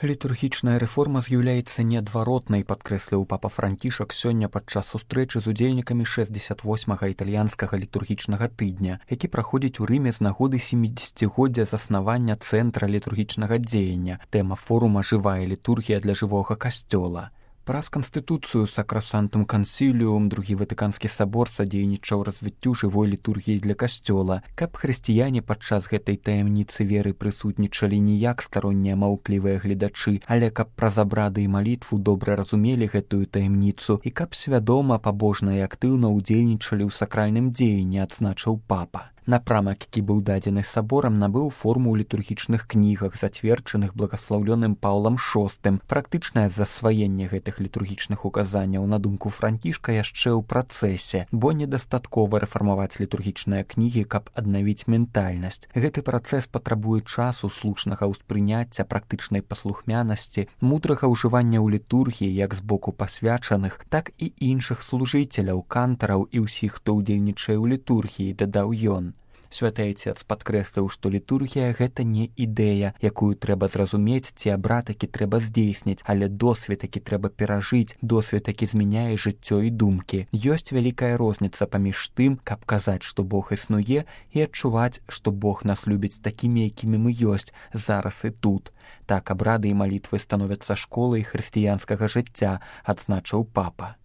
Літургічная рэформа з'яўляецца неадваротнай, падкрэсліў папа Францішак сёння падчас сустрэчы з удзельнікамі 68-га італьянскага літургічнага тыдня, які праходзіць у Рыме з нагоды 70-годдзя заснавання цэнтра літургічнага дзеяння. Тэма форума «Жывая літургія для жывога касцёла». Праз канстытуцыю Сакрасантум Кансіліум другі Ватыканскі сабор садзейнічаў развіццю жывой літургіі для касцёла, каб хрысціяне падчас гэтай таямніцы веры прысутнічалі не як староннія маўклівыя гледачы, але каб праз абрады і малітву добра разумелі гэтую таямніцу і каб свядома, пабожна і актыўна ўдзельнічалі ў сакральным дзеянні, адзначыў папа. Напрамак, які быў дадзены саборам, набыў форму ў літургічных кнігах, зацверджаных благаслаўлёным Паўлам VI. Практычнае засваенне гэтых літургічных указанняў, на думку Францішка, яшчэ ў працэсе, бо недастаткова рэфармаваць літургічныя кнігі, каб аднавіць ментальнасць. Гэты працэс патрабуе часу, слушнага ўспрыняцця, практычнай паслухмянасці, мудрага ўжывання ў літургіі як з боку пасвячаных, так і іншых служыцеляў, кантараў і ўсіх, хто ўдзельнічае ў літургіі, дадаў ён. Святы Айцец падкрэсліў, што літургія – гэта не ідэя, якую трэба зразумець, ці абрад, які трэба здзейсніць, але досвед, які трэба перажыць, досвед, які змяняе жыццё і думкі. Ёсць вялікая розніца паміж тым, каб казаць, што Бог існуе, і адчуваць, што Бог нас любіць такімі, якімі мы ёсць, зараз і тут. Так абрады і малітвы становяцца школай хрысціянскага жыцця, адзначыў папа.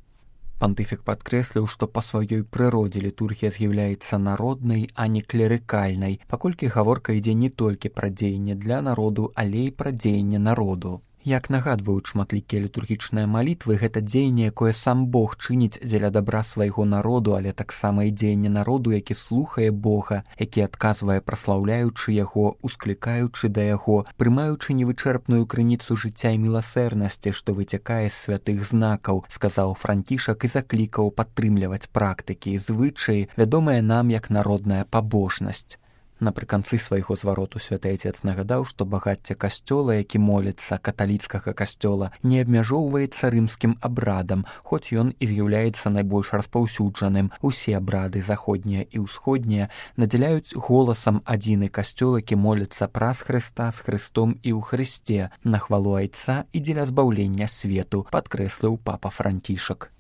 Пантыфік падкрэсліў, што па сваёй прыродзе літургія з'яўляецца народнай, а не клерыкальнай, паколькі гаворка ідзе не толькі пра дзеянне для народу, але і пра дзеянне народу. Як нагадваюць шматлікія літургічныя малітвы, гэта дзеянне, якое сам Бог чыніць дзеля дабра свайго народу, але таксама і дзеянне народу, які слухае Бога, які адказвае, праслаўляючы яго, усклікаючы да яго, прымаючы невычэрпную крыніцу жыцця і міласэрнасці, што выцякае з святых знакаў, сказаў Францішак і заклікаў падтрымліваць практыкі і звычаі, вядомыя нам як народная пабожнасць. Напрыканцы свайго звароту святы Айцец нагадаў, што багацце касцёла, які моліцца, каталіцкага касцёла, не абмяжоўваецца рымскім абрадам, хоць ён і з'яўляецца найбольш распаўсюджаным. Усе абрады, заходнія і ўсходнія, надзяляюць голасам адзіны касцёл, які моліцца праз Хрыста, з Хрыстом і ў Хрысце, на хвалу Айца і дзеля збаўлення свету, падкрэсліў папа Францішак.